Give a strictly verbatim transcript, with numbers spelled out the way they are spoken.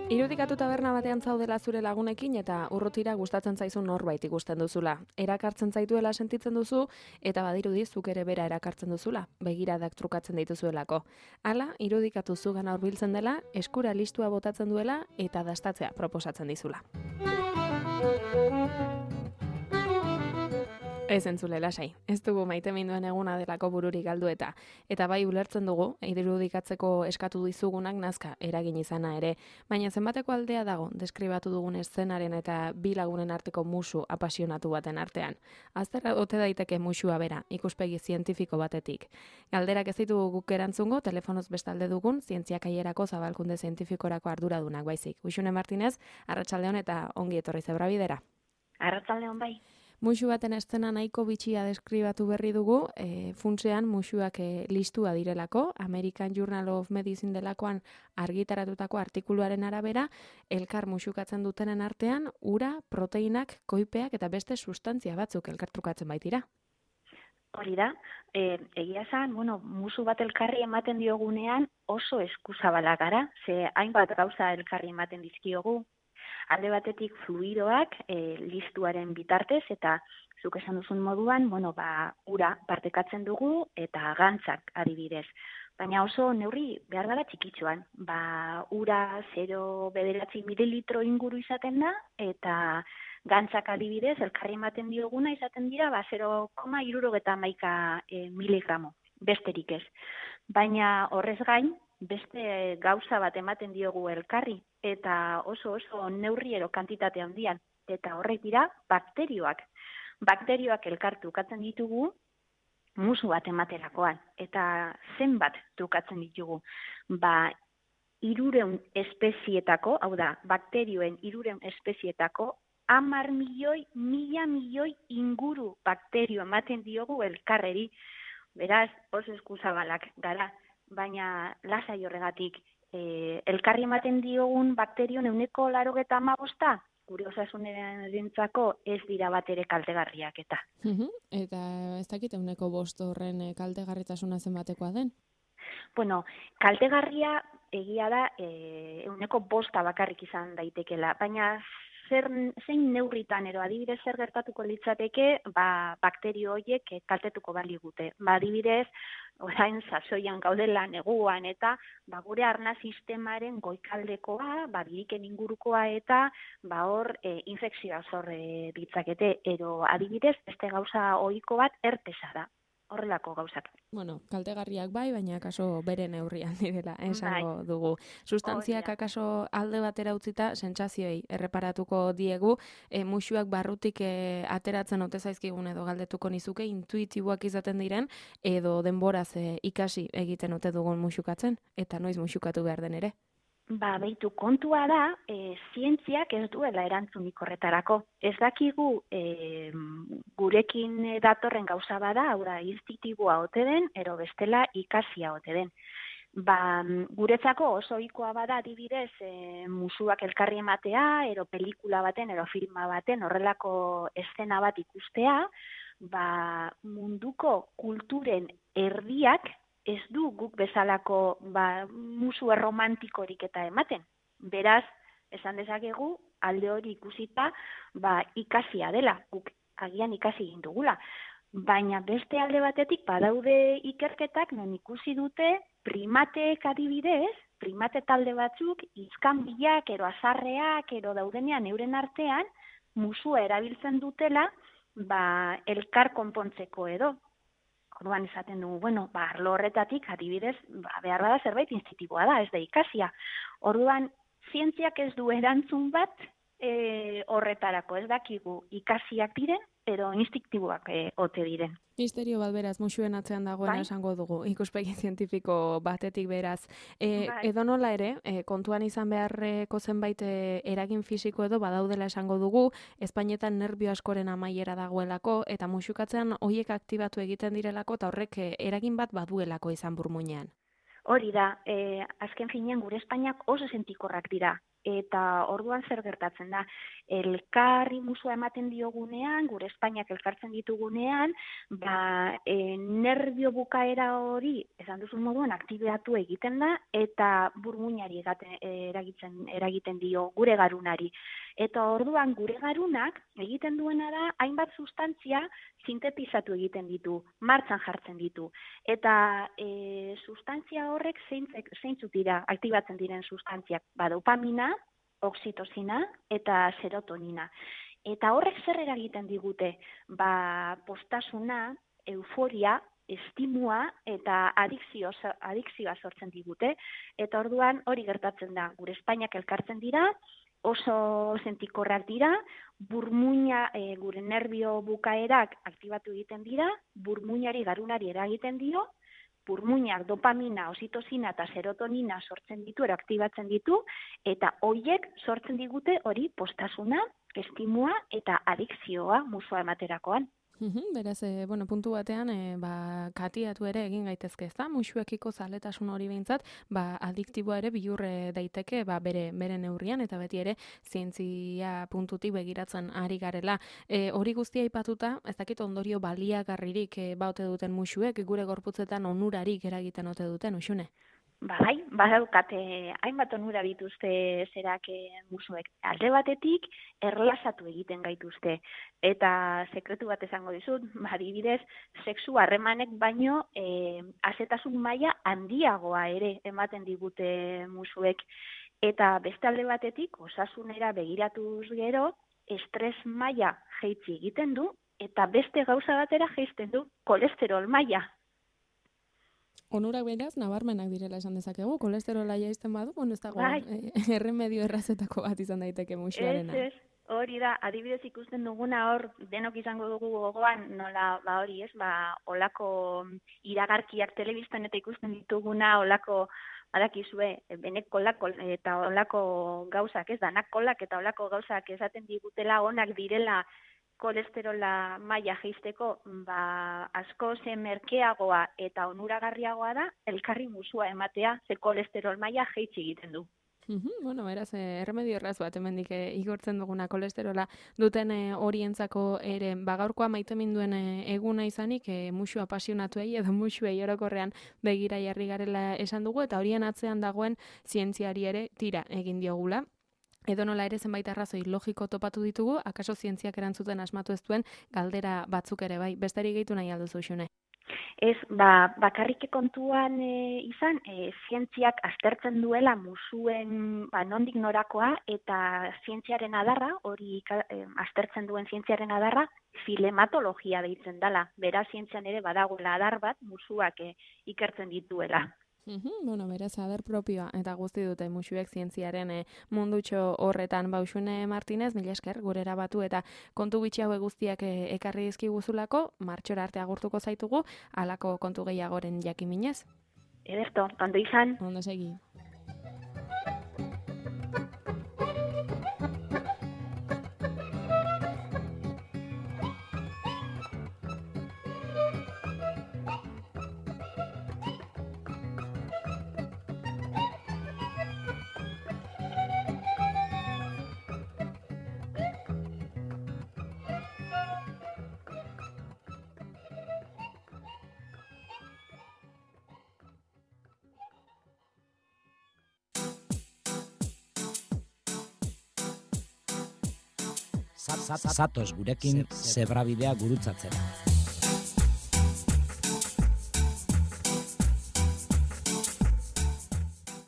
Irudikatu taberna batean zaudela zure lagunekin eta urrutira gustatzen zaizun norbait ikusten duzula. Erakartzen zaituela sentitzen duzu eta badirudi zuk ere bera erakartzen duzula, begiradak trukatzen dituzuelako. Hala, irudikatu zugana hurbiltzen dela, eskura listua botatzen duela eta dastatzea proposatzen dizula. Ez entzule lasai, ez dugu maiteminduen eguna delako bururik galdu eta. Eta bai ulertzen dugu, irudikatzeko eskatu dizugunak nazka eragin izana ere. Baina zenbateko aldea dago, deskribatu dugun eszenaren eta bi lagunen arteko musu apasionatu baten artean. Azterra ote daiteke musua bera, ikuspegi zientifiko batetik. Galderak ez ditugu guk erantzungo, telefonoz bestalde dugun, zientziakaierako zabalkunde zientifikorako arduradunak baizik. Uxune Martinez, arratsaldeon eta ongi etorri zebrabidera. Arratsaldeon bai. Musu baten eszena nahiko bitxia deskribatu berri dugu, e, funtsean musuak e, listua direlako, American Journal of Medicine delakoan argitaratutako artikuluaren arabera, elkar musukatzen dutenen artean, ura, proteinak, koipeak eta beste sustantzia batzuk elkartrukatzen baitira. Hori da, e, egia esan, bueno, musu bat elkarri ematen diogunean oso eskuzabala gara, ze hainbat gauza elkarri ematen dizkiogu. Alde batetik fluidoak e, listuaren bitartez eta zuk esan duzun moduan, bueno, ba, ura partekatzen dugu eta gantzak adibidez. Baina oso neurri behar gara txikitxoan. Ba, ura zero bederatzi mililitro inguru izaten da eta gantzak adibidez elkarri ematen dioguna izaten dira ba, zero koma hirurogeita hamaika e, miligramo, besterik ez. Baina horrez gain, beste gauza bat ematen diogu elkarri, eta oso oso neurriero kantitate handian, eta horrek dira bakterioak. Bakterioak elkar trukatzen ditugu musu bat ematerakoan, eta zenbat trukatzen ditugu. Ba, hirureun espezietako, hau da, bakterioen hirureun espezietako, hamar milioi, mila milioi inguru bakterio ematen diogu elkarreri. Beraz, oso eskuzabalak gara. Baina lasai horregatik, e, elkarri ematen diogun bakterion ehuneko laurogeita hamabosta, gure osasunarentzako ez dira bat ere kaltegarriak eta. Uh-huh. Eta ez dakit ehuneko bost horren kaltegarritasuna zenbatekoa den? Bueno, kaltegarria egia da e, ehuneko bosta bakarrik izan daitekela, baina zer, zein neurritan ero adibidez zer gertatuko litzateke, ba, bakterio horiek kaltetuko baligute. Ba, adibidez, orain sasoian gaudela neguan eta ba, gure arna sistemaren goikaldekoa, ba, biriken ingurukoa eta ba, hor e, infekzioa zor e, ditzakete. Ero adibidez, beste gauza ohiko bat herpesa da. Horrelako gauzak. Bueno, kaltegarriak bai, baina akaso bere neurrian direla, esango bai. Dugu. Sustantziak akaso alde batera utzita, sentsazioei erreparatuko diegu, e, musuak barrutik e, ateratzen ote zaizkigun edo galdetuko nizuke, intuitiboak izaten diren, edo denboraz e, ikasi egiten ote dugun musukatzen, eta noiz musukatu behar den ere. Ba, beitu kontua da, e, zientziak ez duela erantzunik horretarako. Ez dakigu e, gurekin datorren gauza bada, hau da, instintiboa ote den, ero bestela ikasia ote den. Ba, guretzako oso ohikoa bada adibidez e, musuak elkarri ematea, ero pelikula baten, ero filma baten, horrelako eszena bat ikustea, ba, munduko kulturen erdiak, ez du guk bezalako ba, musu erromantikorik eta ematen. Beraz, esan dezakegu, alde hori ikusita ba, ikasia dela, guk agian ikasi egin dugula. Baina beste alde batetik badaude ikerketak non ikusi dute primateek adibidez, primate talde batzuk, izkanbilak, ero azarreak, ero daudenean euren artean, musua erabiltzen dutela ba, elkar konpontzeko edo. Orduan esaten dugu, bueno, ba, arlo horretatik adibidez, ba, behar bada zerbait instintiboa da, ez da ikasia. Orduan, zientziak ez du erantzun bat e, horretarako, ez dakigu ikasiak diren, edo instiktiboak e, ote diren. Misterio bat beraz, musuen atzean dagoena Bai? esango dugu, ikuspegi zientifiko batetik beraz. E, Bai. edo nola ere, e, kontuan izan beharreko zenbait e, eragin fisiko edo badaudela esango dugu, Espainetan nerbio askoren amaiera dagoelako, eta musukatzean horiek aktibatu egiten direlako, eta horrek e, eragin bat baduelako izan burmuinean. Hori da, e, azken finean gure Espainiak oso sentikorrak dira. Eta orduan zer gertatzen da, elkarri musua ematen diogunean, gure Espainiak elkartzen ditugunean, ba, e, nerbio bukaera hori, esan duzun moduan, aktibatu egiten da, eta burmuinari egaten, eragiten, eragiten dio, gure garunari. Eta orduan gure garunak egiten duena da, hainbat sustantzia sintetizatu egiten ditu, martxan jartzen ditu. Eta e, sustantzia horrek zeintzek, zeintzuk dira, aktibatzen diren sustantziak, ba, dopamina, oxitosina eta serotonina. Eta horrek zer eragiten digute? Ba, postasuna, euforia, estimua eta adikzio, adikzioa sortzen digute. Eta orduan hori gertatzen da. Gure Espainiak elkartzen dira, oso sentikorrak dira, burmuina, e, gure nerbio bukaerak aktibatu egiten dira, burmuinari garunari eragiten dio, burmuinak dopamina, oxitosina eta serotonina sortzen ditu, eraktibatzen ditu, eta hoiek sortzen digute hori postasuna, estimua eta adikzioa musua ematerakoan. Uhum, beraz, e, bueno, puntu batean, e, ba, katiatu ere egin gaitezke, ezta? Musuekiko zaletasun hori behintzat, ba, adiktiboa ere bihurre daiteke, ba, bere, bere neurrian, eta beti ere zientzia puntutik begiratzen ari garela. E, hori guztia aipatuta, ez dakit ondorio baliagarririk e, baute duten musuek, gure gorputzetan onurarik eragiten ote duten, Uxune? Bai, badaukate hainbat onura dituzte zerak musuek. Alde batetik, erlasatu egiten gaituzte. Eta sekretu bat esango dizut, adibidez, sexu harremanek baino e, azetasun maila handiagoa ere ematen digute musuek. Eta beste alde batetik, osasunera begiratuz gero, estres maila jaitsi egiten du, eta beste gauza batera jaisten du, kolesterol maila. Onurak beraz, nabarmenak direla esan dezakegu, kolesterola jaisten badu, bueno, ez dago, bai. e, erremedio errazetako bat izan daiteke musuarena. Ez, ez, hori da, adibidez ikusten duguna hor, denok izango dugu gogoan, nola, ba hori ez, ba, olako iragarkiak telebistan eta ikusten dituguna, olako, badakizue, benek kolak eta olako gauzak, ez, danak kolak eta olako gauzak esaten digutela onak direla, kolesterola maila jaisteko, ba, asko ze merkeagoa eta onuragarriagoa da, elkarri musua ematea, ze kolesterol maila jaitsi egiten du. Uhum, bueno, beraz, eh, erremedio erraz bat, hemendik eh, igortzen duguna kolesterola duten eh, horientzako ere, bagaurkoa maiteminduen eh, eguna izanik, eh, musua apasionatuei edo musuei orokorrean begira jarri garela esan dugu, eta horien atzean dagoen zientziari ere tira egin diogula. Edo nola ere zenbait arrazoi logiko topatu ditugu, akaso zientziak erantzuten asmatu ez duen galdera batzuk ere bai. Besterik gehitu nahi alduzu, Xune? Ez, ba, bakarrik kontuan e, izan, e, zientziak aztertzen duela musuen ba, nondik norakoa, eta zientziaren adarra, hori e, aztertzen duen zientziaren adarra, filematologia deitzen dela. Beraz, zientzian ere badagoela adar bat musuak e, ikertzen dituela. Uhum, bueno, beraz, adar propioa eta guzti dute musuek zientziaren e, mundutxo horretan. Bauxune Martinez, mila esker, gurera batu eta kontu bitxi hauek guztiak e, ekarri dizkiguzulako, martxora arte agurtuko zaitugu, halako kontu gehiagoren jakiminez. Ederto, ondo izan. Ondo segi. Zatoz gurekin zebrabidea gurutzatzera.